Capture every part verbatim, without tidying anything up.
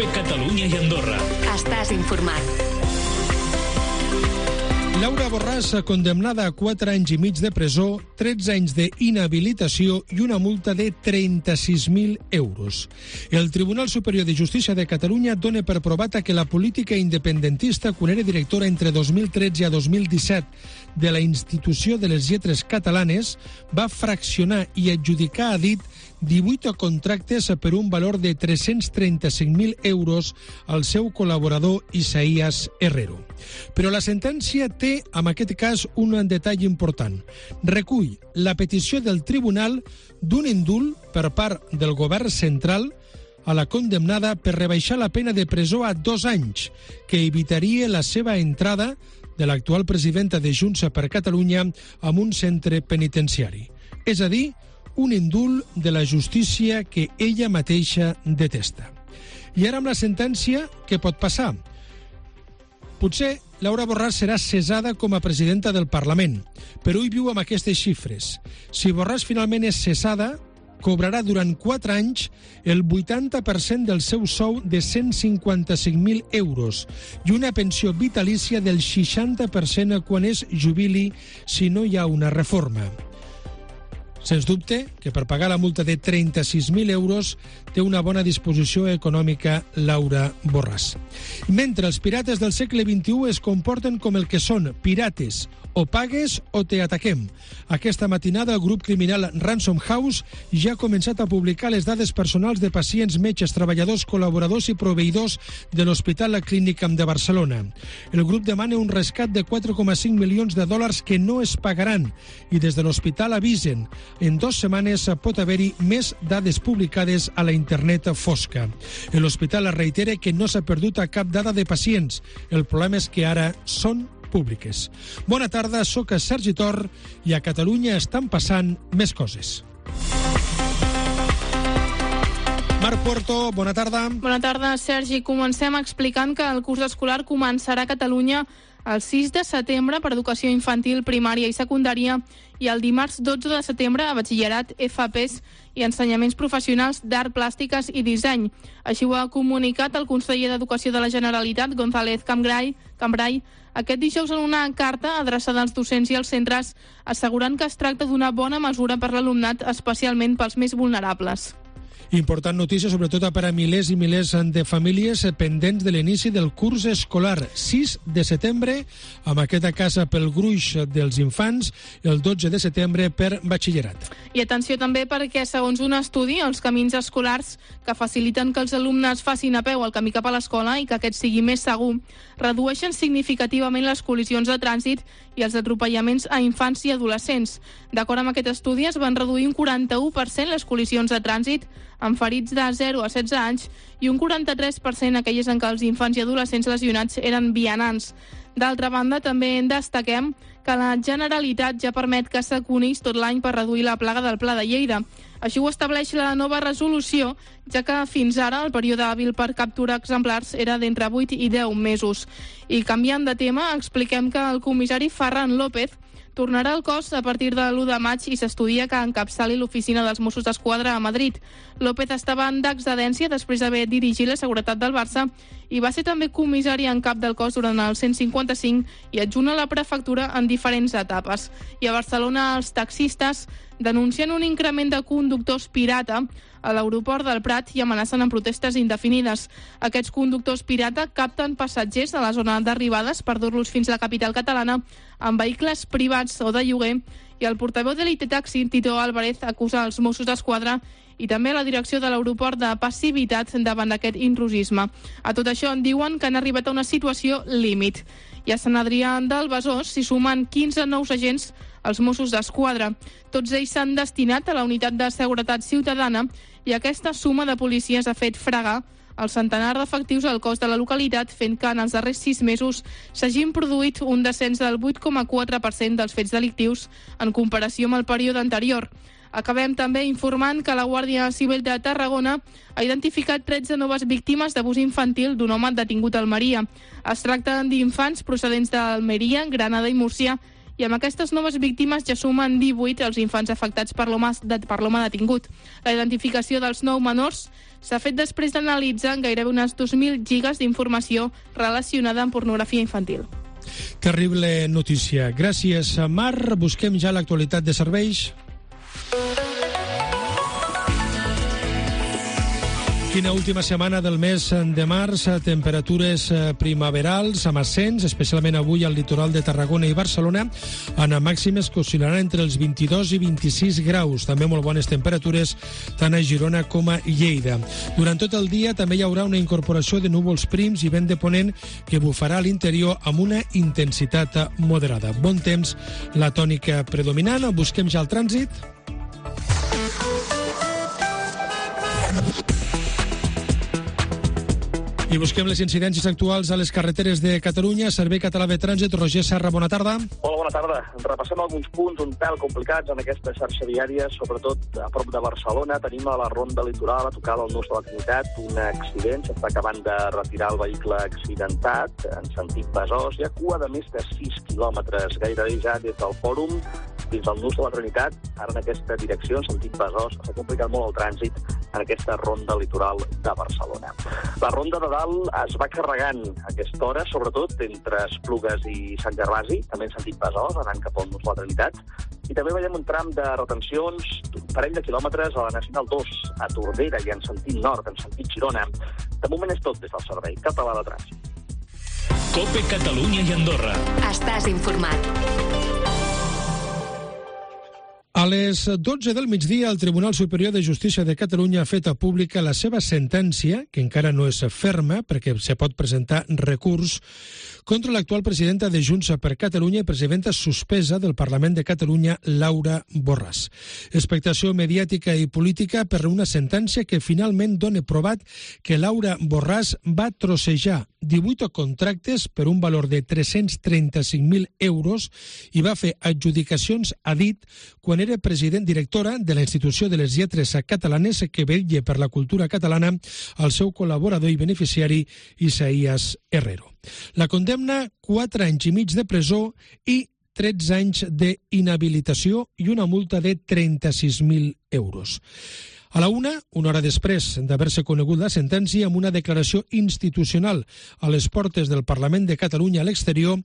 Cope Catalunya i Andorra. Estàs informat. Laura Borràs, condemnada a quatre anys i mig de presó, tretze anys d'inhabilitació i una multa de trenta-sis mil euros. El Tribunal Superior de Justícia de Catalunya dona per provat que la política independentista, quan era directora entre dos mil tretze a dos mil disset de la Institució de les Lletres Catalanes, va fraccionar i adjudicar a dit divuit contractes per un valor de tres-cents trenta-cinc mil euros al seu col·laborador Isaías Herrero. Però la sentència té, en aquest cas, un detall important. Recull la petició del tribunal d'un indult per part del govern central a la condemnada per rebaixar la pena de presó a dos anys, que evitaria la seva entrada de l'actual presidenta de Junts per Catalunya en un centre penitenciari. És a dir, un indult de la justícia que ella mateixa detesta. I ara amb la sentència, què pot passar? Potser Laura Borràs serà cessada com a presidenta del Parlament, però ell viu amb aquestes xifres. Si Borràs finalment és cessada, cobrarà durant quatre anys el vuitanta per cent del seu sou de cent cinquanta-cinc mil euros i una pensió vitalícia del seixanta per cent quan es jubili si no hi ha una reforma. Sens dubte que per pagar la multa de trenta-sis mil euros té una bona disposició econòmica Laura Borràs. Mentre els pirates del segle vint-i-u es comporten com el que són, pirates, o pagues o te ataquem. Aquesta matinada el grup criminal Ransom House ja ha començat a publicar les dades personals de pacients, metges, treballadors, col·laboradors i proveïdors de l'Hospital La Clínica de Barcelona. El grup demana un rescat de quatre coma cinc milions de dòlars que no es pagaran i des de l'hospital avisen en dues setmanes pot haver-hi més dades publicades a la internet fosca. L'hospital reitera que no s'ha perdut a cap dada de pacients. El problema és que ara són públiques. Bona tarda, sóc Sergi Tor i a Catalunya estan passant més coses. Marc Puerto, bona tarda. Bona tarda, Sergi. Comencem explicant que el curs escolar començarà a Catalunya el sis de setembre per educació infantil, primària i secundària i el dimarts dotze de setembre a batxillerat, F A Pes i ensenyaments professionals d'art, plàstiques i disseny. Així ho ha comunicat el conseller d'Educació de la Generalitat, González Cambray, Cambray, aquest dijous en una carta adreçada als docents i als centres, assegurant que es tracta d'una bona mesura per l'alumnat, especialment pels més vulnerables. Important notícia, sobretot per a milers i milers de famílies pendents de l'inici del curs escolar. sis de setembre, amb aquesta casa pel gruix dels infants, el dotze de setembre per batxillerat. I atenció també perquè, segons un estudi, els camins escolars que faciliten que els alumnes facin a peu el camí cap a l'escola i que aquest sigui més segur, redueixen significativament les col·lisions de trànsit i els atropellaments a infants i adolescents. D'acord amb aquest estudi, es van reduir un quaranta-u per cent les col·lisions de trànsit amb ferits de zero a setze anys i un quaranta-tres per cent aquelles en què els infants i adolescents lesionats eren vianants. D'altra banda, també en destaquem que la Generalitat ja permet que s'aconís tot l'any per reduir la plaga del Pla de Lleida. Així ho estableix la nova resolució, ja que fins ara el període hàbil per capturar exemplars era d'entre vuit i deu mesos. I canviant de tema, expliquem que el comissari Ferran López tornarà al cos a partir de l'u de maig i s'estudia que encapçali l'oficina dels Mossos d'Esquadra a Madrid. López estava en d'excedència després d'haver dirigit la seguretat del Barça i va ser també comissari en cap del cos durant el cent cinquanta-cinc i adjunt a la prefectura en diferents etapes. I a Barcelona els taxistes denuncien un increment de conductors pirata a l'aeroport del Prat i amenacen amb protestes indefinides. Aquests conductors pirata capten passatgers a la zona d'arribades per dur-los fins a la capital catalana amb vehicles privats o de lloguer i el portaveu de l'I T Taxi, Tito Álvarez, acusa els Mossos d'Esquadra i també la direcció de l'aeroport de passivitat davant d'aquest intrusisme. A tot això en diuen que han arribat a una situació límit. I a Sant Adrià del Besòs s'hi sumen quinze nous agents als Mossos d'Esquadra. Tots ells s'han destinat a la unitat de seguretat ciutadana i aquesta suma de policies ha fet fregar el centenar d'efectius al cos de la localitat, fent que en els darrers sis mesos s'hagin produït un descens del vuit coma quatre per cent dels fets delictius en comparació amb el període anterior. Acabem també informant que la Guàrdia Civil de Tarragona ha identificat tretze noves víctimes d'abús infantil d'un home detingut a Almeria. Es tracta d'infants procedents d'Almeria, Granada i Múrcia i amb aquestes noves víctimes ja sumen divuit els infants afectats per l'home per l'home detingut. La identificació dels nou menors s'ha fet després d'analitzar gairebé unes dos mil gigas d'informació relacionada amb pornografia infantil. Terrible notícia. Gràcies, Mar. Busquem ja l'actualitat de serveis. Quina última setmana del mes de març, temperatures primaverals amb ascens, especialment avui al litoral de Tarragona i Barcelona, amb màximes que oscil·laran entre els vint-i-dos i vint-i-sis graus. També molt bones temperatures tant a Girona com a Lleida. Durant tot el dia també hi haurà una incorporació de núvols prims i vent de ponent que bufarà a l'interior amb una intensitat moderada. Bon temps, la tònica predominant. Busquem ja el trànsit. I busquem les incidències actuals a les carreteres de Catalunya. Servei Català de Trànsit, Roger Serra, bona tarda. Hola, bona tarda. Repassem alguns punts un pèl complicats en aquesta xarxa viària, sobretot a prop de Barcelona. Tenim a la ronda litoral, a tocar del nus de la Trinitat, un accident. S'està acabant de retirar el vehicle accidentat en sentit Besòs. Hi ha cua de més de sis quilòmetres, gairebé ja des del fòrum fins al nus de la Trinitat, ara en aquesta direcció, en sentit Besòs. S'ha complicat molt el trànsit en aquesta ronda litoral de Barcelona. La ronda de dalt es va carregant a aquesta hora, sobretot entre Esplugues i Sant Gervasi, també en sentit Besòs, anant cap al nus de la Trinitat. I també veiem un tram de retencions d'un parell de quilòmetres a la Nacional dos, a Tordera i en sentit nord, en sentit Girona. De moment és tot des del Servei Català de Trànsit. COPE Catalunya i Andorra. Estàs informat. A les dotze del migdia, el Tribunal Superior de Justícia de Catalunya ha fet pública la seva sentència, que encara no és ferma, perquè se pot presentar recurs, contra l'actual presidenta de Junts per Catalunya i presidenta suspesa del Parlament de Catalunya, Laura Borràs. Expectació mediàtica i política per una sentència que finalment dona provat que Laura Borràs va trossejar divuit contractes per un valor de tres-cents trenta-cinc mil euros i va fer adjudicacions a dit quan era president directora de la Institució de les Lletres Catalanes que vetlla per la cultura catalana al seu col·laborador i beneficiari Isaías Herrero. La condemna, quatre anys i mig de presó i tretze anys d'inhabilitació i una multa de trenta-sis mil euros. A la una, una hora després d'haver-se conegut la sentència, amb una declaració institucional a les portes del Parlament de Catalunya a l'exterior,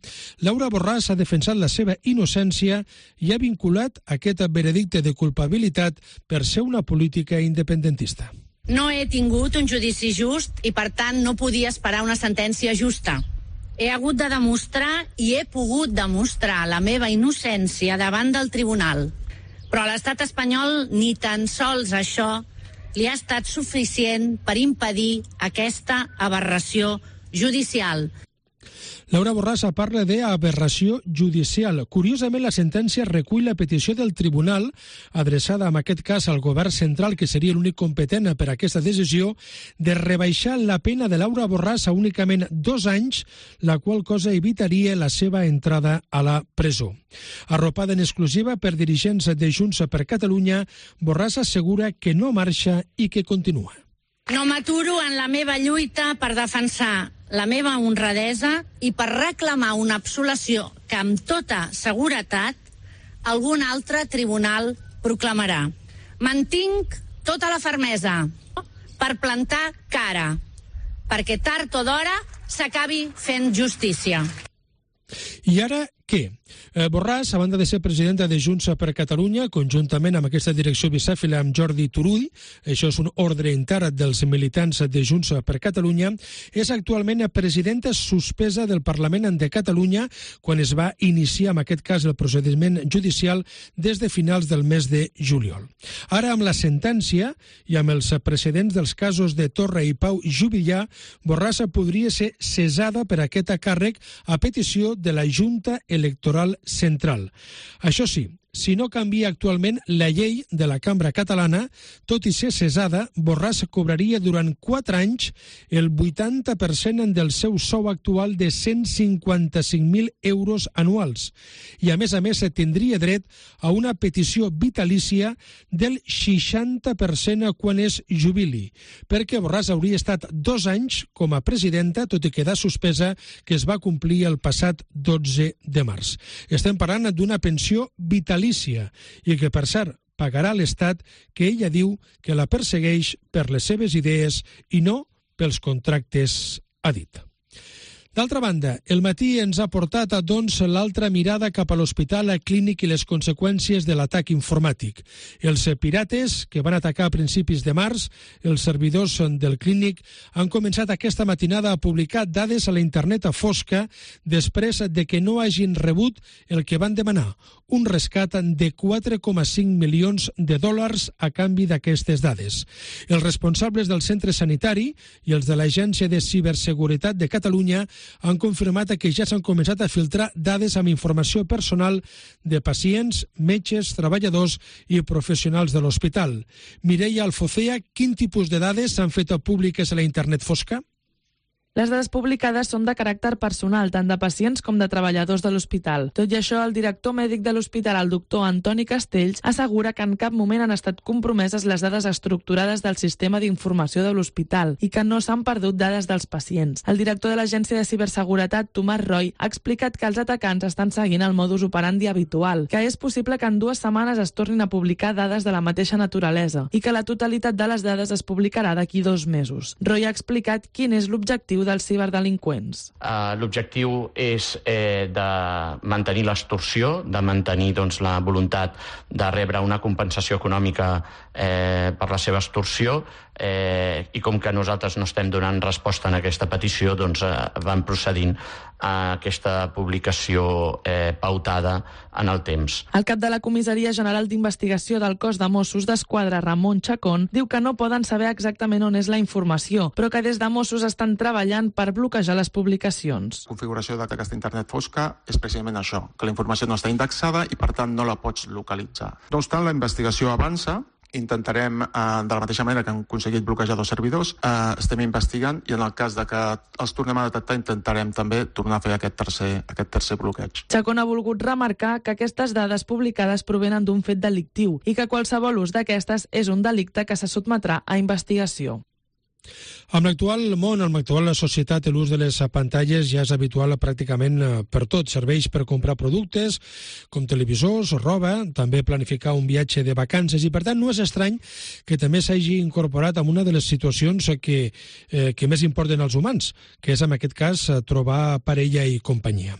Laura Borràs ha defensat la seva innocència i ha vinculat aquest veredicte de culpabilitat per ser una política independentista. No he tingut un judici just i, per tant, no podia esperar una sentència justa. He hagut de demostrar i he pogut demostrar la meva innocència davant del tribunal. Però a l'estat espanyol ni tan sols això li ha estat suficient per impedir aquesta aberració judicial. Laura Borràs parla d'aberració judicial. Curiosament, la sentència recull la petició del tribunal, adreçada en aquest cas al govern central, que seria l'únic competent per a aquesta decisió, de rebaixar la pena de Laura Borràs a únicament dos anys, la qual cosa evitaria la seva entrada a la presó. Arropada en exclusiva per dirigents de Junts per Catalunya, Borràs assegura que no marxa i que continua. No m'aturo en la meva lluita per defensar la meva honradesa i per reclamar una absolució que amb tota seguretat algun altre tribunal proclamarà. Mantinc tota la fermesa per plantar cara, perquè tard o d'hora s'acabi fent justícia. I ara què? Eh, Borràs, a banda de ser presidenta de Junts per Catalunya, conjuntament amb aquesta direcció bicèfila amb Jordi Turull, això és un ordre intern dels militants de Junts per Catalunya, és actualment presidenta suspesa del Parlament de Catalunya quan es va iniciar, en aquest cas, el procediment judicial des de finals del mes de juliol. Ara, amb la sentència i amb els precedents dels casos de Torra i Pau Juvillà, Borràs podria ser cessada per aquest càrrec a petició de la Junta Electoral Central. Això sí, si no canvia actualment la llei de la Cambra Catalana, tot i ser cesada, Borràs cobraria durant quatre anys el vuitanta per cent del seu sou actual de cent cinquanta-cinc mil euros anuals. I, a més a més, tindria dret a una petició vitalícia del seixanta per cent quan es jubili, perquè Borràs hauria estat dos anys com a presidenta, tot i quedar suspesa, que es va complir el passat dotze de març. Estem parlant d'una pensió vitalícia i que, per cert, pagarà l'Estat, que ella diu que la persegueix per les seves idees i no pels contractes, ha dit. D'altra banda, el matí ens ha portat, doncs, l'altra mirada cap a l'Hospital Clínic i les conseqüències de l'atac informàtic. Els pirates, que van atacar a principis de març, els servidors del Clínic, han començat aquesta matinada a publicar dades a la internet a fosca després de que no hagin rebut el que van demanar, un rescat de quatre coma cinc milions de dòlars a canvi d'aquestes dades. Els responsables del centre sanitari i els de l'Agència de Ciberseguretat de Catalunya han confirmat que ja s'han començat a filtrar dades amb informació personal de pacients, metges, treballadors i professionals de l'hospital. Mireia Alfocea, quin tipus de dades s'han fet públiques a la internet fosca? Les dades publicades són de caràcter personal, tant de pacients com de treballadors de l'hospital. Tot i això, el director mèdic de l'hospital, el doctor Antoni Castells, assegura que en cap moment han estat compromeses les dades estructurades del sistema d'informació de l'hospital i que no s'han perdut dades dels pacients. El director de l'Agència de Ciberseguretat, Tomàs Roy, ha explicat que els atacants estan seguint el modus operandi habitual, que és possible que en dues setmanes es tornin a publicar dades de la mateixa naturalesa i que la totalitat de les dades es publicarà d'aquí dos mesos. Roy ha explicat quin és l'objectiu dels ciberdelinqüents. Uh, L'objectiu és eh, de mantenir l'extorsió, de mantenir doncs, la voluntat de rebre una compensació econòmica eh, per la seva extorsió, eh, i com que nosaltres no estem donant resposta en aquesta petició, doncs eh, van procedint a aquesta publicació eh, pautada en el temps. El cap de la Comissaria General d'Investigació del Cos de Mossos d'Esquadra, Ramon Chacón, diu que no poden saber exactament on és la informació, però que des de Mossos estan treballant per bloquejar les publicacions. La configuració d'aquesta internet fosca és precisament això, que la informació no està indexada i per tant no la pots localitzar. No obstant, la investigació avança. Intentarem, eh, de la mateixa manera que han aconseguit bloquejar dos servidors, eh, estem investigant i en el cas de que els tornem a detectar intentarem també tornar a fer aquest tercer, aquest tercer bloqueig. Chacón ha volgut remarcar que aquestes dades publicades provenen d'un fet delictiu i que qualsevol ús d'aquestes és un delicte que se sotmetrà a investigació. Amb l'actual món, amb l'actual societat, l'ús de les pantalles ja és habitual pràcticament per tot. Serveix per comprar productes com televisors o roba, també planificar un viatge de vacances i, per tant, no és estrany que també s'hagi incorporat en una de les situacions que, eh, que més importen als humans, que és, en aquest cas, trobar parella i companyia.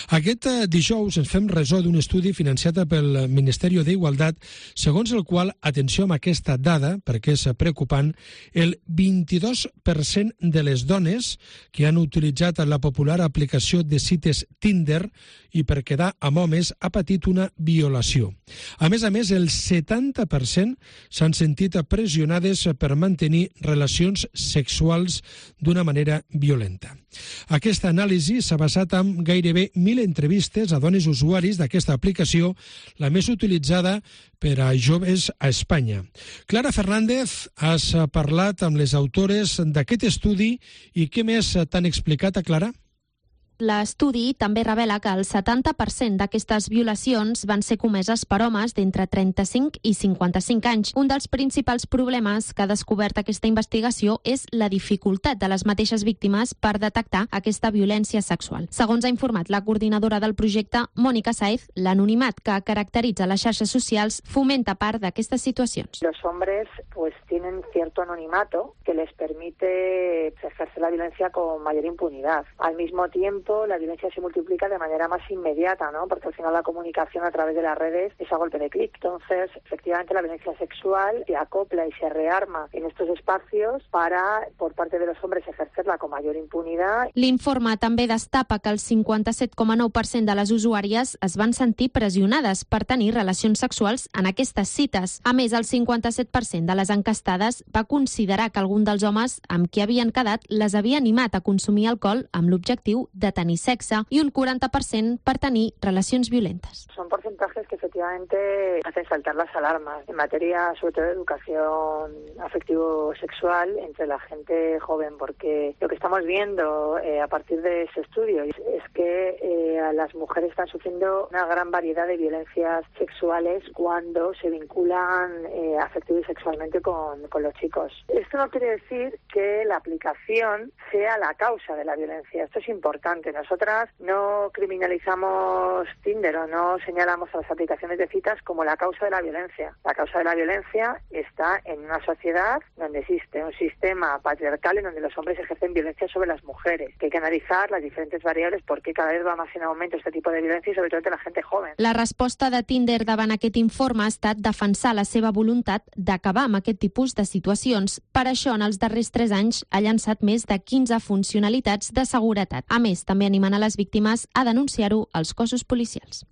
Aquest dijous ens fem ressò d'un estudi financiat pel Ministeri d'Igualtat, segons el qual, atenció amb aquesta dada, perquè és preocupant, el vint-i-dos per cent de les dones que han utilitzat la popular aplicació de cites Tinder i per quedar amb homes ha patit una violació. A més a més, el setanta per cent s'han sentit pressionades per mantenir relacions sexuals d'una manera violenta. Aquesta anàlisi s'ha basat en gairebé mil entrevistes a dones usuaris d'aquesta aplicació, la més utilitzada per a joves a Espanya. Clara Fernández, has parlat amb les autores d'aquest estudi i què més t'han explicat, a Clara? L'estudi també revela que el setanta per cent d'aquestes violacions van ser comeses per homes d'entre trenta-cinc i cinquanta-cinc anys. Un dels principals problemes que ha descobert aquesta investigació és la dificultat de les mateixes víctimes per detectar aquesta violència sexual. Segons ha informat la coordinadora del projecte, Mònica Saez, l'anonimat que caracteritza les xarxes socials fomenta part d'aquestes situacions. Los hombres pues tienen cierto anonimato que les permite ejercer la violencia con mayor impunidad. Al mismo tiempo, la violencia se multiplica de manera más inmediata, ¿no? Porque al final la comunicación a través de las redes es a golpe de clic. Entonces, efectivamente, la violencia sexual se acopla y se rearma en estos espacios para, por parte de los hombres, ejercerla con mayor impunidad. L'informe també destapa que el cinquanta-set coma nou per cent de les usuàries es van sentir pressionades per tenir relacions sexuals en aquestes cites. A més, el cinquanta-set per cent de les encastades va considerar que algun dels homes amb qui havien quedat les havia animat a consumir alcohol amb l'objectiu de tenir tenir sexe i un quaranta per cent per tenir relacions violentes. Son porcentajes que efectivamente hacen saltar las alarmas en materia, sobre todo de educación afectivo-sexual entre la gente joven, porque lo que estamos viendo eh, a partir de ese estudio es, es que eh, las mujeres están sufriendo una gran variedad de violencias sexuales cuando se vinculan eh, afectivo y sexualmente con, con los chicos. Esto no quiere decir que la aplicación sea la causa de la violencia. Esto es importante. Nosotras no criminalizamos Tinder o no señalamos a las aplicaciones de citas como la causa de la violencia. La causa de la violencia está en una sociedad donde existe un sistema patriarcal en donde los hombres ejercen violencia sobre las mujeres, que hay que analizar las diferentes variables porque cada vez va más en aumento este tipo de violencia y sobre todo de la gente joven. La resposta de Tinder davant aquest informe ha estat defensar la seva voluntat d'acabar amb aquest tipus de situacions. Per això, en els darrers tres anys, ha llançat més de quinze funcionalitats de seguretat. A més, també animant a les víctimes a denunciar-ho als cossos policials.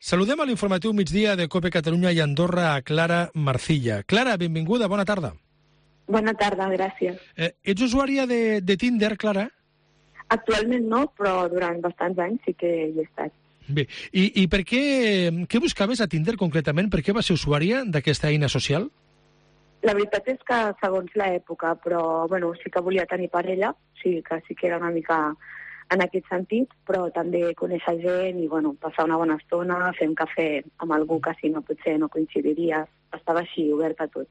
Saludem a l'informatiu migdia de COPE Catalunya i Andorra a Clara Marcilla. Clara, benvinguda, bona tarda. Bona tarda, gràcies. Eh, ets usuària de, de Tinder, Clara? Actualment no, però durant bastants anys sí que hi he estat. Bé, i, i per què, què buscaves a Tinder concretament? Per què vas ser usuària d'aquesta eina social? La veritat és que segons l'època, però bueno, sí que volia tenir parella, sí que sí que era una mica en aquest sentit, però també conèixer gent i bueno, passar una bona estona, fer un cafè amb algú que si no potser no coincidiria, estava així, obert a tot.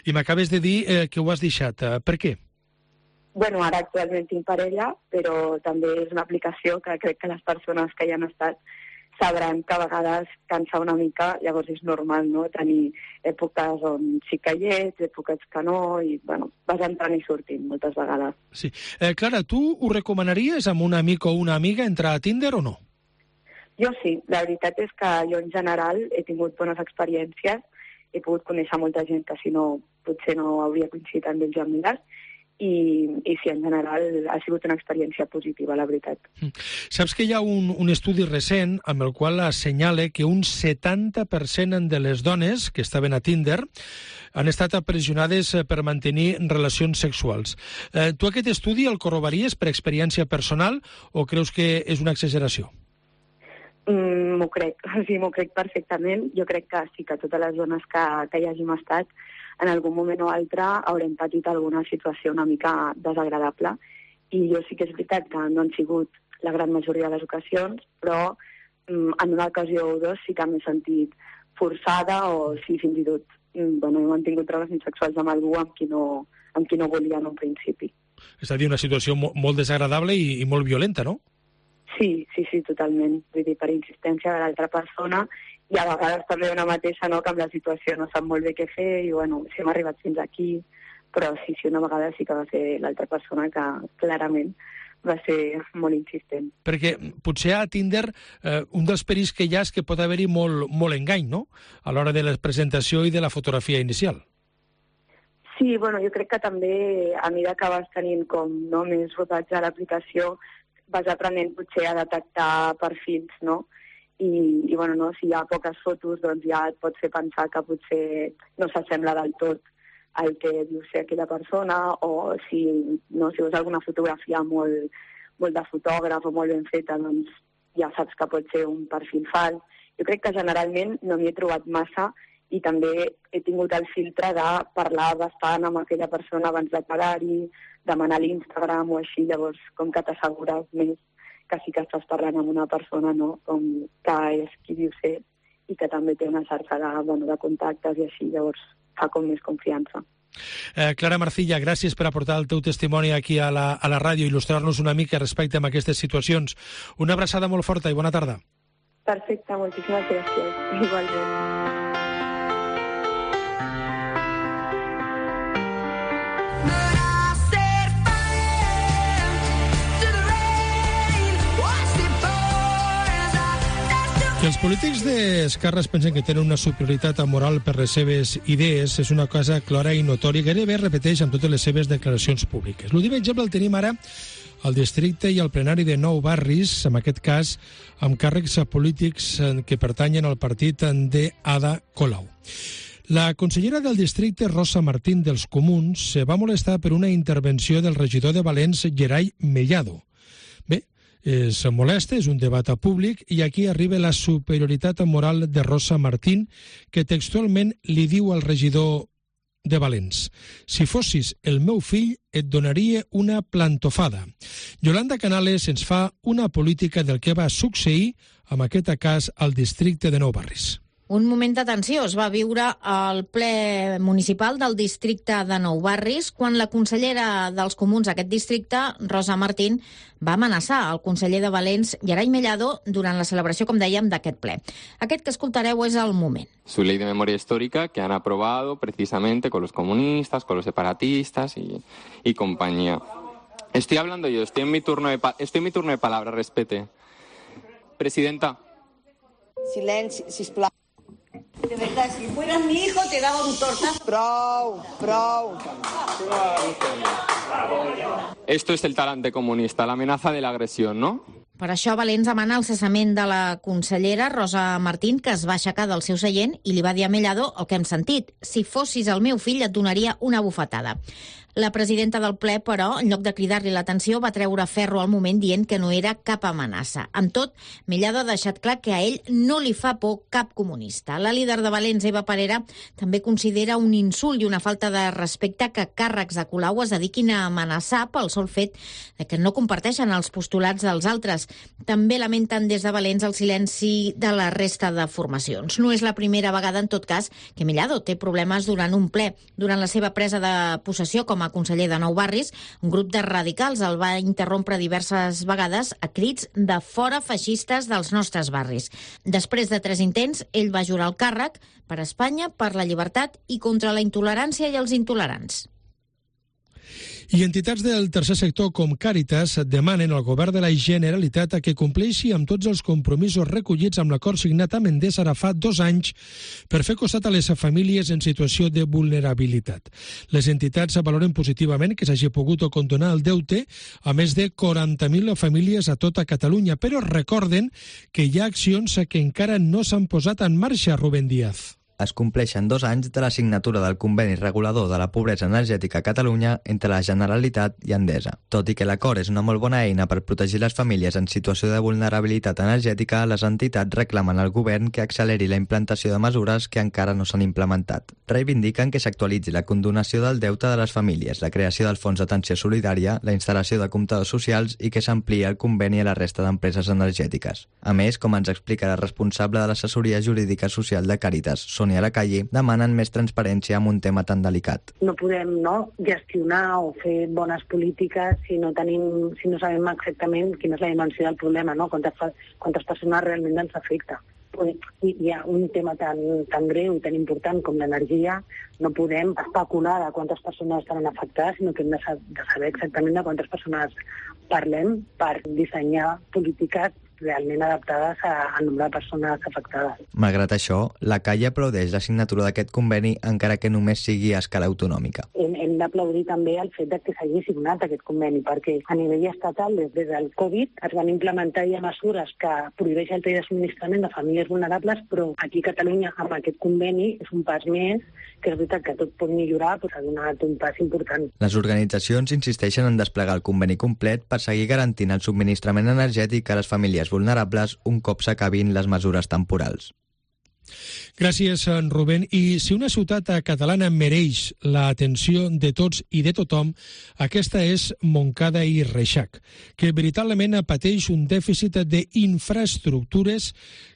I m'acabes de dir eh, que ho has deixat. Eh, per què? Bueno, ara actualment tinc parella, però també és una aplicació que crec que les persones que hi han estat sabran que a vegades cansa una mica, llavors és normal, no?, tenir èpoques on sí que hi ets, èpoques que no, i bueno, vas entrant i sortint moltes vegades. Sí. Eh, Clara, tu ho recomanaries amb un amic o una amiga entrar a Tinder o no? Jo sí, la veritat és que jo en general he tingut bones experiències, he pogut conèixer molta gent que si no potser no hauria coincidit amb ells amigues, i, i sí, en general ha sigut una experiència positiva, la veritat. Saps que hi ha un, un estudi recent amb el qual assenyala que un setanta per cent de les dones que estaven a Tinder han estat apressionades per mantenir relacions sexuals. Eh, tu aquest estudi el corrobories per experiència personal o creus que és una exageració? Mm, m'ho crec, sí, m'ho crec perfectament. Jo crec que sí que totes les dones que, que hi hàgim estat en algun moment o altre haurem patit alguna situació una mica desagradable. I jo sí que és veritat que no han sigut la gran majoria de les ocasions, però mm, en una ocasió o dos sí que m'he sentit forçada o sí, fins i tot mm, bueno, he mantingut relacions sexuals amb algú amb qui no, amb qui no volia en un principi. És a dir, una situació mo molt desagradable i, i molt violenta, no? Sí, sí, sí, totalment. Vull dir, per insistència de l'altra persona, i a vegades també una mateixa, no?, que amb la situació no sap molt bé què fer, i bueno, si hem arribat fins aquí, però sí, sí, una vegada sí que va ser l'altra persona que clarament va ser molt insistent. Perquè potser a Tinder eh, un dels perills que hi ha és que pot haver-hi molt, molt engany, no?, a l'hora de la presentació i de la fotografia inicial. Sí, bueno, jo crec que també a mesura que vas tenint com no, més rodatge a l'aplicació, vas aprenent potser a detectar perfils, no? I, i bueno, no, si hi ha poques fotos, doncs ja et pot fer pensar que potser no s'assembla del tot al que diu ser aquella persona, o si, no, si veus alguna fotografia molt, molt de fotògraf o molt ben feta, doncs ja saps que pot ser un perfil fals. Jo crec que generalment no m'hi he trobat massa i també he tingut el filtre de parlar bastant amb aquella persona abans de quedar-hi, demanar l'Instagram o així, llavors com que t'assegures més que sí que estàs parlant amb una persona, no?, com que és qui diu ser i que també té una xarxa de, bueno, de contactes i així, llavors fa com més confiança. Eh, Clara Marcilla, gràcies per aportar el teu testimoni aquí a la, a la ràdio i il·lustrar-nos una mica respecte a aquestes situacions. Una abraçada molt forta i bona tarda. Perfecte, moltíssimes gràcies. Igualment. Que els polítics d'esquerres pensen que tenen una superioritat moral per les seves idees és una cosa clara i notòria, gairebé repeteix amb totes les seves declaracions públiques. L'últim exemple el tenim ara al districte i al plenari de Nou Barris, en aquest cas amb càrrecs polítics que pertanyen al partit d'Ada Colau. La consellera del districte, Rosa Martín, dels Comuns, se va molestar per una intervenció del regidor de Valens, Gerai Mellado. es molesta, és un debat públic, i aquí arriba la superioritat moral de Rosa Martín, que textualment li diu al regidor de Valens: si fossis el meu fill et donaria una plantofada. Yolanda Canales ens fa una política del que va succeir en aquest cas al districte de Nou Barris. Un moment d'atenció es va viure al ple municipal del districte de Nou Barris quan la consellera dels Comuns d'aquest districte, Rosa Martín, va amenaçar el conseller de Valens, Gerai Mellado, durant la celebració, com dèiem, d'aquest ple. Aquest que escoltareu és el moment. Su ley de memoria histórica que han aprobado precisamente con los comunistas, con los separatistas y, y compañía. Estoy hablando yo, estoy en mi turno de, pa estoy en mi turno de palabra, respete. Presidenta. Silenci, sisplau. De verdad, si fueras mi hijo te daba un tortazo. Prou, prou. Esto es el talante comunista, la amenaza de la agresión, ¿no? Per això Valens demana el cessament de la consellera Rosa Martín, que es va aixecar del seu seient i li va dir a Mellado el que hem sentit: si fossis el meu fill et donaria una bufetada. La presidenta del ple, però, en lloc de cridar-li l'atenció, va treure ferro al moment dient que no era cap amenaça. Amb tot, Mellado ha deixat clar que a ell no li fa por cap comunista. La líder de Valens, Eva Parera, també considera un insult i una falta de respecte que càrrecs de Colau es dediquin a amenaçar pel sol fet de que no comparteixen els postulats dels altres. També lamenten des de Valens el silenci de la resta de formacions. No és la primera vegada, en tot cas, que Mellado té problemes durant un ple. Durant la seva presa de possessió com a conseller de Nou Barris, un grup de radicals el va interrompre diverses vegades a crits de fora feixistes dels nostres barris. Després de tres intents, ell va jurar el càrrec per Espanya, per la llibertat i contra la intolerància i els intolerants. I entitats del tercer sector com Càritas demanen al govern de la Generalitat que compleixi amb tots els compromisos recollits amb l'acord signat amb Endesa ara fa dos anys per fer costat a les famílies en situació de vulnerabilitat. Les entitats valoren positivament que s'hagi pogut condonar el deute a més de quaranta mil famílies a tota Catalunya, però recorden que hi ha accions que encara no s'han posat en marxa, Rubén Díaz. Es compleixen dos anys de la signatura del conveni regulador de la pobresa energètica a Catalunya entre la Generalitat i Endesa. Tot i que l'acord és una molt bona eina per protegir les famílies en situació de vulnerabilitat energètica, les entitats reclamen al govern que acceleri la implantació de mesures que encara no s'han implementat. Reivindiquen que s'actualitzi la condonació del deute de les famílies, la creació del fons d'atenció solidària, la instal·lació de comptadors socials i que s'ampliï el conveni a la resta d'empreses energètiques. A més, com ens explica la responsable de l'assessoria jurídica social de Càritas, a la calle, demanen més transparència amb un tema tan delicat. No podem no, gestionar o fer bones polítiques si no tenim, si no sabem exactament quina és la dimensió del problema, no? quantes, quantes persones realment ens afecta. I hi ha un tema tan, tan greu i tan important com l'energia, no podem especular de quantes persones estaran afectades, sinó que hem de saber exactament de quantes persones parlem per dissenyar polítiques realment adaptades al nombre de persones afectades. Malgrat això, la Calle aplaudeix la signatura d'aquest conveni encara que només sigui a escala autonòmica. Hem, hem d'aplaudir també el fet de que s'hagi signat aquest conveni, perquè a nivell estatal, des, des del Covid, es van implementar ja mesures que prohibeixen el tall de subministrament de famílies vulnerables, però aquí a Catalunya, amb aquest conveni, és un pas més, que és veritat que tot pot millorar, però s'ha donat un pas important. Les organitzacions insisteixen en desplegar el conveni complet per seguir garantint el subministrament energètic a les famílies vulnerables un cop s'acabin les mesures temporals. Gràcies, Rubén. I si una ciutat catalana mereix l'atenció de tots i de tothom, aquesta és Montcada i Reixac, que veritablement pateix un dèficit d'infraestructures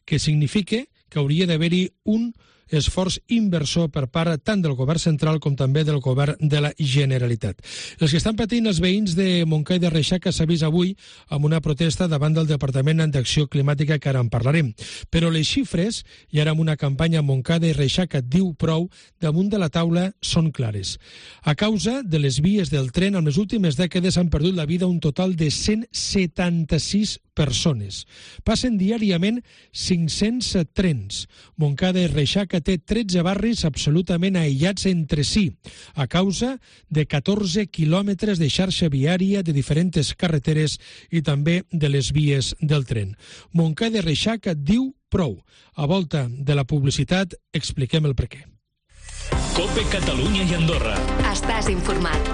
que significa que hauria d'haver-hi un esforç inversor per part tant del govern central com també del govern de la Generalitat. Els que estan patint els veïns de Montcada i de Reixac s'ha vist avui amb una protesta davant del Departament d'Acció Climàtica, que ara en parlarem. Però les xifres, i ara amb una campanya Montcada i Reixac et diu prou, damunt de la taula són clares. A causa de les vies del tren, en les últimes dècades han perdut la vida un total de cent setanta-sis persones. Passen diàriament cinc-cents trens. Montcada i Reixac té tretze barris absolutament aïllats entre si, a causa de catorze quilòmetres de xarxa viària de diferents carreteres i també de les vies del tren. Montcada i Reixac diu prou. A volta de la publicitat expliquem el perquè. COPE Catalunya i Andorra. Estàs informat.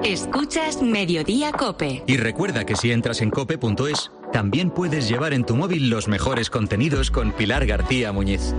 Escuchas Mediodía COPE. Y recuerda que si entras en cope punto es, también puedes llevar en tu móvil los mejores contenidos con Pilar García Muñiz.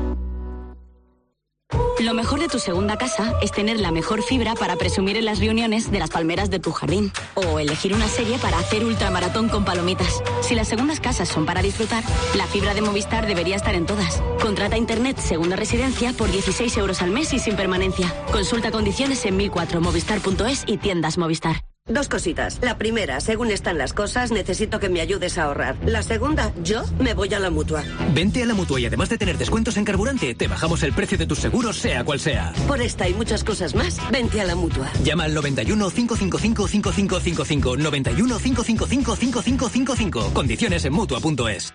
Lo mejor de tu segunda casa es tener la mejor fibra para presumir en las reuniones de las palmeras de tu jardín. O elegir una serie para hacer ultramaratón con palomitas. Si las segundas casas son para disfrutar, la fibra de Movistar debería estar en todas. Contrata Internet Segunda Residencia por dieciséis euros al mes y sin permanencia. Consulta condiciones en mil cuatro movistar punto es y tiendas Movistar. Dos cositas. La primera, según están las cosas, necesito que me ayudes a ahorrar. La segunda, yo me voy a la Mutua. Vente a la Mutua y además de tener descuentos en carburante, te bajamos el precio de tus seguros, sea cual sea. Por esta y muchas cosas más, vente a la Mutua. Llama al noventa y uno, cinco cinco cinco, cinco cinco cinco cinco, noventa y uno, cinco cinco cinco, cinco cinco cinco cinco. Condiciones en Mutua punto es.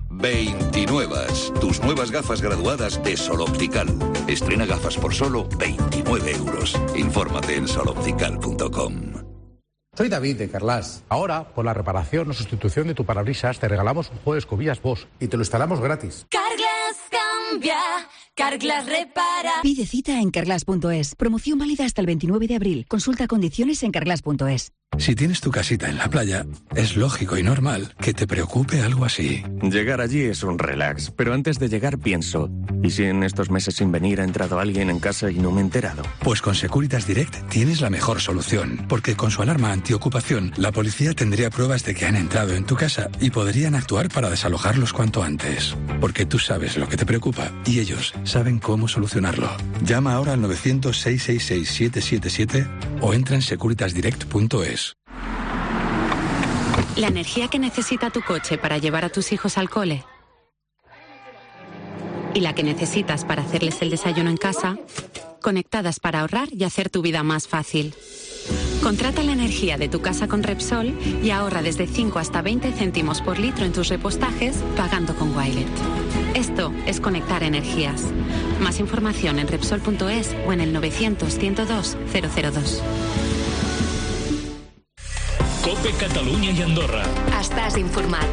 veintinuevas, tus nuevas gafas graduadas de Sol Optical. Estrena gafas por solo veintinueve euros. Infórmate en sol optical punto com. Soy David de Carglass. Ahora, por la reparación o sustitución de tu parabrisas, te regalamos un juego de escobillas Bosch y te lo instalamos gratis. Carglass cambia, Carglass repara. Pide cita en carglass punto es. Promoción válida hasta el veintinueve de abril. Consulta condiciones en carglass punto es. Si tienes tu casita en la playa, es lógico y normal que te preocupe algo así. Llegar allí es un relax, pero antes de llegar pienso, ¿y si en estos meses sin venir ha entrado alguien en casa y no me he enterado? Pues con Securitas Direct tienes la mejor solución, porque con su alarma antiocupación, la policía tendría pruebas de que han entrado en tu casa y podrían actuar para desalojarlos cuanto antes. Porque tú sabes lo que te preocupa y ellos saben cómo solucionarlo. Llama ahora al novecientos, seiscientos sesenta y seis, setecientos setenta y siete o entra en securitas direct punto es. La energía que necesita tu coche para llevar a tus hijos al cole y la que necesitas para hacerles el desayuno en casa, conectadas para ahorrar y hacer tu vida más fácil. Contrata la energía de tu casa con Repsol y ahorra desde cinco hasta veinte céntimos por litro en tus repostajes pagando con Wilet. Esto es conectar energías. Más información en Repsol punto es o en el novecientos, ciento dos, cero cero dos. COPE Catalunya i Andorra. Estàs informat.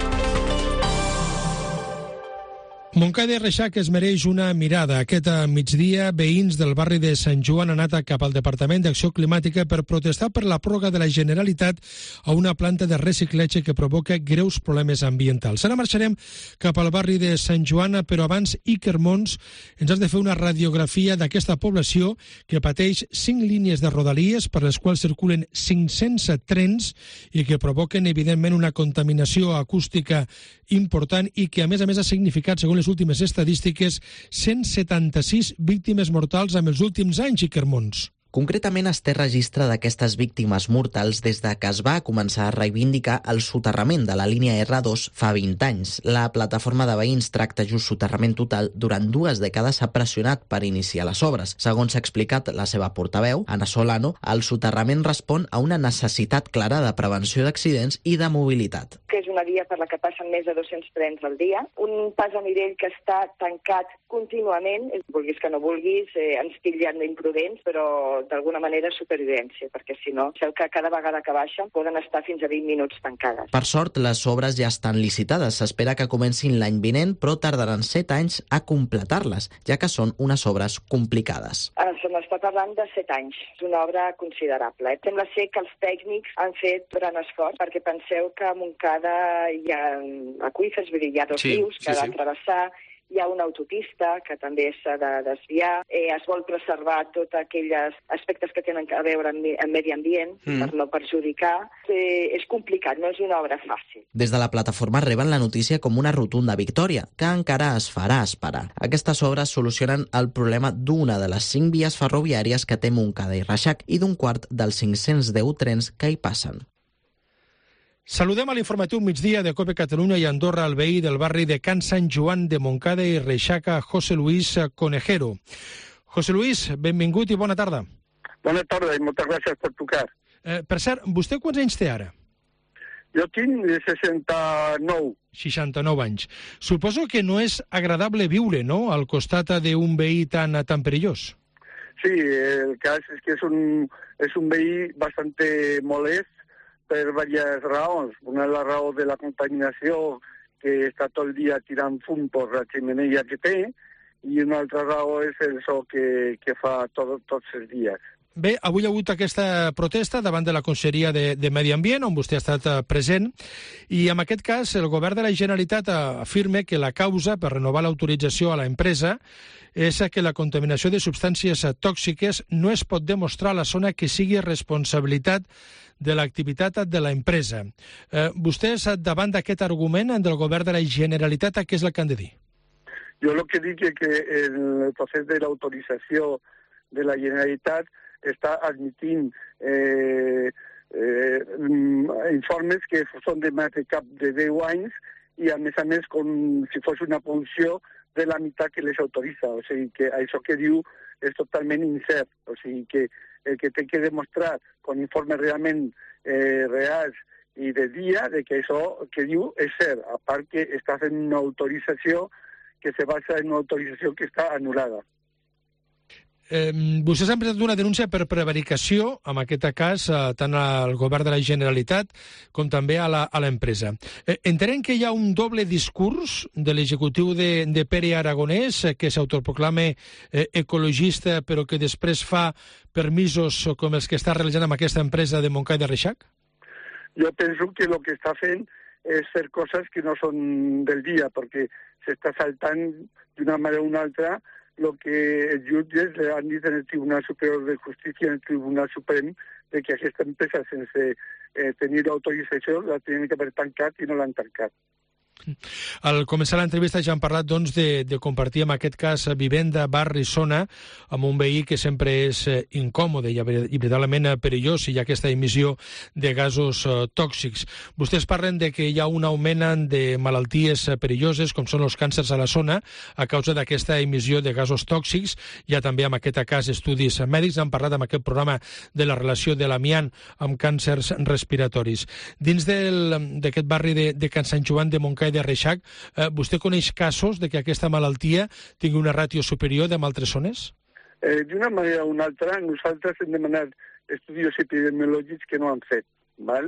Montcada i Reixac es mereix una mirada. Aquest migdia, veïns del barri de Sant Joan han anat cap al Departament d'Acció Climàtica per protestar per la pròrroga de la Generalitat a una planta de reciclatge que provoca greus problemes ambientals. Ara marxarem cap al barri de Sant Joan, però abans, Iker Mons, ens has de fer una radiografia d'aquesta població que pateix cinc línies de rodalies per les quals circulen cinc-cents trens i que provoquen, evidentment, una contaminació acústica important i que, a més a més, ha significat, segons les últimes estadístiques, cent setanta-sis víctimes mortals en els últims anys, Iker Mons. Concretament es té registre d'aquestes víctimes mortals des de que es va començar a reivindicar el soterrament de la línia erre dos fa vint anys. La plataforma de veïns Tracta Just Soterrament Total durant dues dècades ha pressionat per iniciar les obres. Segons s'ha explicat la seva portaveu, Ana Solano, el soterrament respon a una necessitat clara de prevenció d'accidents i de mobilitat. Que és una via per la que passen més de dos-cents trens al dia, un pas a nivell que està tancat contínuament, vulguis que no vulguis, eh, ens titllen d'imprudents, però d'alguna manera supervivència, perquè si no, sabeu que cada vegada que baixen poden estar fins a vint minuts tancades. Per sort, les obres ja estan licitades. S'espera que comencin l'any vinent, però tardaran set anys a completar-les, ja que són unes obres complicades. Se n'està parlant de set anys. És una obra considerable. Eh? Sembla ser que els tècnics han fet gran esforç, perquè penseu que a Montcada hi ha aqüífers, vull dir, hi ha dos sí, rius que sí, ha de travessar, hi ha una autopista que també s'ha de desviar, eh, es vol preservar tots aquells aspectes que tenen a veure amb, amb medi ambient mm. per no perjudicar. Eh, és complicat, no és una obra fàcil. Des de la plataforma reben la notícia com una rotunda victòria, que encara es farà esperar. Aquestes obres solucionen el problema d'una de les cinc vies ferroviàries que té Montcada i Reixac i d'un quart dels cinc-cents deu trens que hi passen. Saludem a l'informatiu migdia de COPE Catalunya i Andorra al veí del barri de Can Sant Joan de Montcada i Reixac, José Luis Conejero. José Luis, benvingut i bona tarda. Bona tarda i moltes gràcies per trucar. Eh, per cert, vostè quants anys té ara? Jo tinc seixanta-nou. seixanta-nou anys. Suposo que no és agradable viure, no?, al costat d'un veí tan, tan perillós. Sí, el cas és que és un, és un veí bastante molest per diverses raons. Una és la raó de la contaminació, que està tot el dia tirant fum per la xemeneia que té, i una altra raó és el so que, que fa tot, tots els dies. Bé, avui ha hagut aquesta protesta davant de la Conselleria de, de Medi Ambient, on vostè ha estat present, i en aquest cas el govern de la Generalitat afirma que la causa per renovar l'autorització a l'empresa és que la contaminació de substàncies tòxiques no es pot demostrar a la zona que sigui responsabilitat de l'activitat de l'empresa. Eh, vostès, davant d'aquest argument del govern de la Generalitat, què és el que han de dir? Jo el que dic és que el procés de l'autorització de la Generalitat està admitint eh, eh, informes que són de més de cap de deu anys i, a més a més, com si fos una producció de la meitat que les autoritza. O sigui que això que diu és totalment incert. O sigui que el que té que demostrar con informes realment eh, reals i de dia de que això que diu és cert, a part que està fent una autorització que se basa en una autorització que està anul·lada. Eh, vostès han presentat una denúncia per prevaricació, en aquest cas, eh, tant al govern de la Generalitat com també a l'empresa. Eh, entenem que hi ha un doble discurs de l'executiu de, de Pere Aragonès, eh, que s'autoproclama eh, ecologista, però que després fa permisos com els que està realitzant amb aquesta empresa de Montcada i de Reixac? Jo penso que el que està fent és fer coses que no són del dia, perquè s'està saltant d'una manera o una altra lo que els jutges le han dit en el Tribunal Superior de Justícia, en el Tribunal Suprem, de que aquesta empresa, sense eh, tenir l'autorització, la tenien que haver tancat i no l'han tancat. Al començar l'entrevista ja hem parlat doncs, de, de compartir en aquest cas vivenda, barri, zona amb un veí que sempre és eh, incòmode i, i veritablement perillós i hi ha aquesta emissió de gasos eh, tòxics. Vostès parlen de que hi ha un augment de malalties perilloses com són els càncers a la zona a causa d'aquesta emissió de gasos tòxics. Hi ha també en aquest cas estudis mèdics. Han parlat en aquest programa de la relació de l'amiant amb càncers respiratoris. Dins d'aquest barri de, de Can Sant Joan de Montcada de Reixac, eh, vostè coneix casos de que aquesta malaltia tingui una ràtio superior d'en altres zones? Eh, D'una manera o una altra, nosaltres hem demanat estudis epidemiològics que no han fet. Val?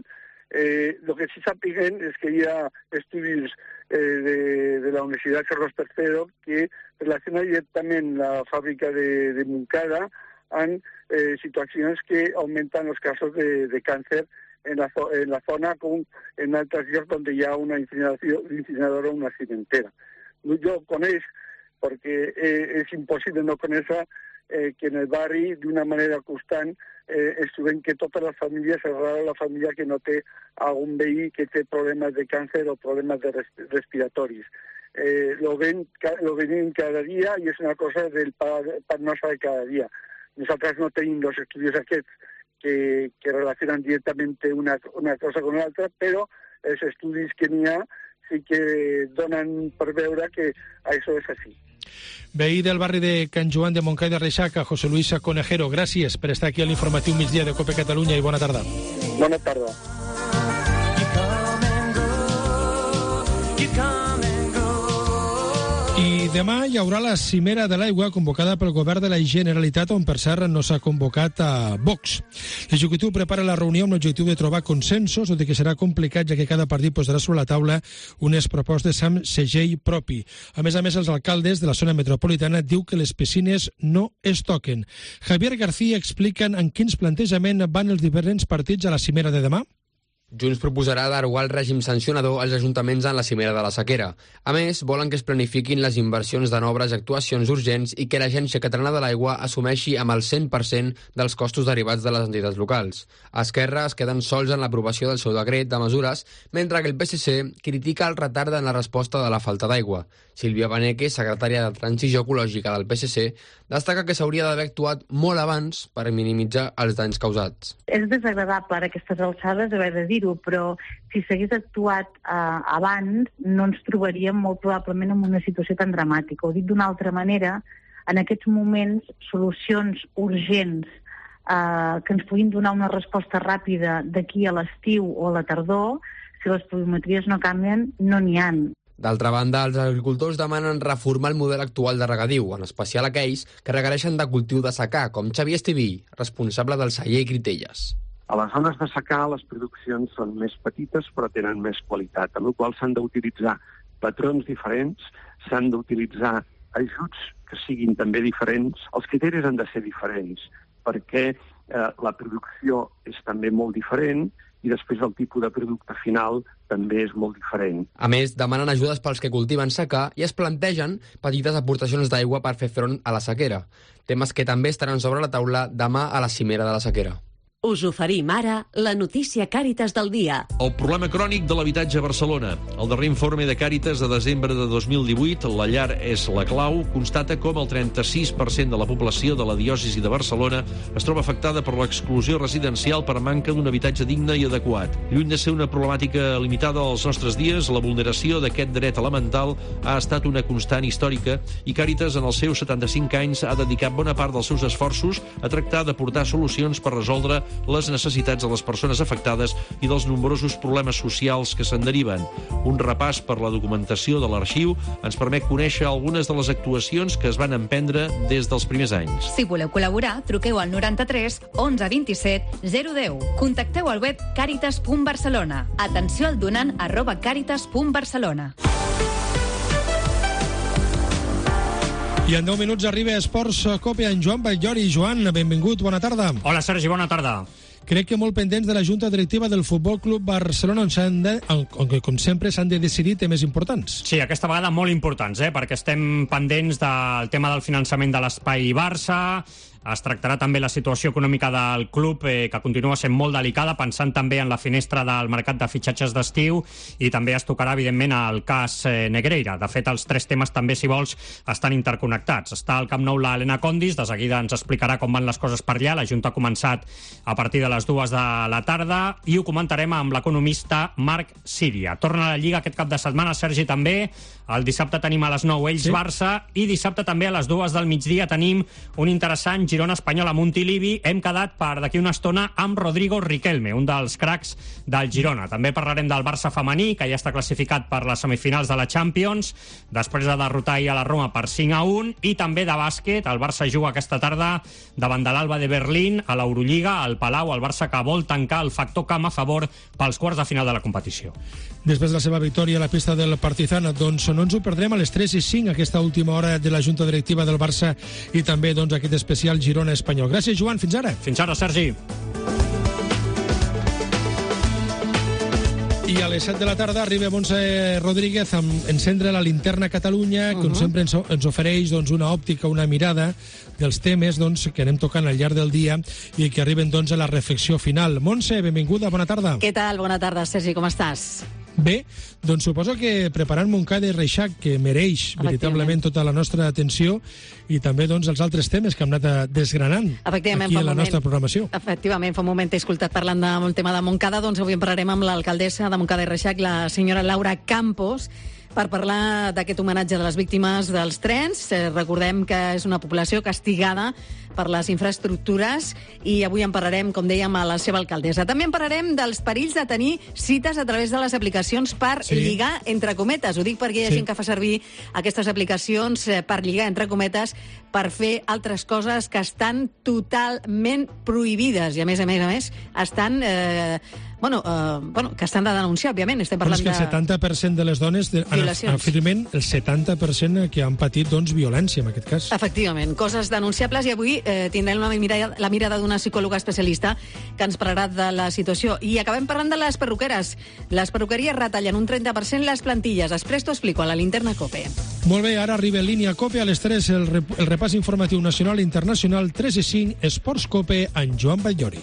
Eh, lo que sí sapiguem és que hi ha estudis eh, de, de la Universitat Carlos tercero que relacionen directament la fàbrica de, de Montcada amb eh, situacions que augmenten els casos de, de càncer en la, en la zona com en altres llocs on hi ha una incineradora o una cimentera. Jo coneix, perquè eh, és impossible no conèixer eh, que en el barri, d'una manera constant, eh, es trobem que totes les famílies, és rara la família que no té algun veí que té problemes de càncer o problemes de res, respiratoris. Eh, lo, ven, lo venim cada dia i és una cosa del pa, pa nostre de cada dia. Nosaltres no tenim els estudis aquests Que, que relacionan directamente una, una cosa con l'altra, però els estudis que n'hi ha sí que donen per veure que això és així. Veí del barri de Can Joan de Montcada i de Reixac, José Luis Conejero, gràcies per estar aquí a l'informatiu migdia de COPE Catalunya i bona tarda. Bona tarda. I demà hi haurà la cimera de l'aigua convocada pel govern de la Generalitat, on per cert no s'ha convocat a Vox. L'executiu prepara la reunió amb l'objectiu de trobar consensos, tot i que serà complicat, ja que cada partit posarà sobre la taula unes propostes amb segell propi. A més a més, els alcaldes de la zona metropolitana diu que les piscines no es toquen. Javier García explica en quins plantejaments van els diferents partits a la cimera de demà. Junts proposarà derogar el règim sancionador als ajuntaments en la cimera de la sequera. A més, volen que es planifiquin les inversions de noves actuacions urgents i que l'Agència Catalana de l'Aigua assumeixi amb el cent per cent dels costos derivats de les entitats locals. A Esquerra es queden sols en l'aprovació del seu decret de mesures, mentre que el P S C critica el retard en la resposta de la falta d'aigua. Sílvia Baneque, secretària de Transició Ecològica del P S C, destaca que s'hauria d'haver actuat molt abans per minimitzar els danys causats. És desagradable a aquestes alçades haver de dir-ho, però si s'hagués actuat eh, abans no ens trobaríem molt probablement en una situació tan dramàtica. Ho dic d'una altra manera, en aquests moments solucions urgents eh, que ens puguin donar una resposta ràpida d'aquí a l'estiu o a la tardor, si les pluviometries no canvien, no n'hi ha. D'altra banda, els agricultors demanen reformar el model actual de regadiu, en especial aquells que requereixen de cultiu de secà, com Xavier Estiví, responsable del celler Critelles. A les zones de secà les produccions són més petites però tenen més qualitat, amb la qual s'han d'utilitzar patrons diferents, s'han d'utilitzar ajuts que siguin també diferents, els criteris han de ser diferents perquè eh, la producció és també molt diferent i després el tipus de producte final també és molt diferent. A més, demanen ajudes pels que cultiven secà i es plantegen petites aportacions d'aigua per fer front a la sequera. Temes que també estaran sobre la taula demà a la cimera de la sequera. Us oferim ara la notícia Càritas del dia. El problema crònic de l'habitatge a Barcelona. El darrer informe de Càritas de desembre de dos mil divuit, La llar és la clau, constata com el trenta-sis per cent de la població de la diòcesi de Barcelona es troba afectada per l'exclusió residencial per manca d'un habitatge digne i adequat. Lluny de ser una problemàtica limitada als nostres dies, la vulneració d'aquest dret elemental ha estat una constant històrica i Càritas, en els seus setanta-cinc anys, ha dedicat bona part dels seus esforços a tractar d'aportar solucions per resoldre les necessitats de les persones afectades i dels nombrosos problemes socials que se'n deriven. Un repàs per la documentació de l'arxiu ens permet conèixer algunes de les actuacions que es van emprendre des dels primers anys. Si voleu col·laborar, truqueu al noranta-tres onze vint-i-set zero deu. Contacteu al web càritas punt barcelona. Atenció al donant arroba càritas punt barcelona. I en deu minuts arriba Esports Cope en Joan Batllori. Joan, benvingut, bona tarda. Hola, Sergi, bona tarda. Crec que molt pendents de la Junta Directiva del Futbol Club Barcelona, on, s'han de, on com sempre s'han de decidir temes importants. Sí, aquesta vegada molt importants, eh? Perquè estem pendents del tema del finançament de l'Espai Barça. Es tractarà també la situació econòmica del club, eh, que continua sent molt delicada, pensant també en la finestra del mercat de fitxatges d'estiu, i també es tocarà, evidentment, el cas eh, Negreira. De fet, els tres temes també, si vols, estan interconnectats. Està al Camp Nou l'Helena Condis, de seguida ens explicarà com van les coses per allà. La Junta ha començat a partir de les dues de la tarda i ho comentarem amb l'economista Marc Síria. Torna a la Lliga aquest cap de setmana, Sergi, també. El dissabte tenim a les nou Ells sí. Barça, i dissabte també a les dues del migdia tenim un interessant Girona Espanyol a Montilivi. Hem quedat per d'aquí una estona amb Rodrigo Riquelme, un dels cracs del Girona. També parlarem del Barça femení, que ja està classificat per les semifinals de la Champions, després de derrotar ahir a la Roma per cinc a un, i també de bàsquet. El Barça juga aquesta tarda davant de l'Alba de Berlín a l'Eurolliga, al Palau. El Barça que vol tancar el factor camp a favor pels quarts de final de la competició. Després de la seva victòria a la pista del Partizan, doncs no ens ho perdrem a les tres i cinc, aquesta última hora de la Junta Directiva del Barça, i també doncs aquest especial Girona Espanyol. Gràcies, Joan. Fins ara. Fins ara, Sergi. I a les set de la tarda arriba Montse Rodríguez amb encendre la linterna Catalunya, que uh -huh. sempre ens, ens ofereix doncs, una òptica, una mirada dels temes doncs, que anem tocant al llarg del dia i que arriben doncs, a la reflexió final. Montse, benvinguda, bona tarda. Què tal? Bona tarda, Sergi, com estàs? Bé, doncs suposo que preparant Montcada i Reixac, que mereix veritablement tota la nostra atenció, i també doncs, els altres temes que hem anat desgranant aquí a la moment, nostra programació. Efectivament, fa un moment t'he escoltat parlant del tema de Montcada, doncs avui en parlarem amb l'alcaldessa de Montcada i Reixac, la senyora Laura Campos, per parlar d'aquest homenatge de les víctimes dels trens. Eh, recordem que és una població castigada per les infraestructures, i avui en parlarem, com dèiem, a la seva alcaldessa. També en parlarem dels perills de tenir cites a través de les aplicacions per sí. lligar, entre cometes. Ho dic perquè hi ha sí. gent que fa servir aquestes aplicacions eh, per lligar, entre cometes, per fer altres coses que estan totalment prohibides, i a més a més a més estan... Eh, Bueno, uh, bueno, que estan de denunciar, òbviament. Estem parlant de... És que el setanta per cent de les dones de, afirmen el setanta per cent que han patit doncs, violència, en aquest cas. Efectivament, coses denunciables, i avui eh, tindrem la mirada, la mirada d'una psicòloga especialista que ens parlarà de la situació. I acabem parlant de les perruqueres. Les perruqueries retallen un trenta per cent les plantilles. Després t'ho explico a la linterna COPE. Molt bé, ara arriba en línia COPE a les tres, el, rep el repàs informatiu nacional i internacional, tres i cinc, Esports COPE, en Joan Batllori.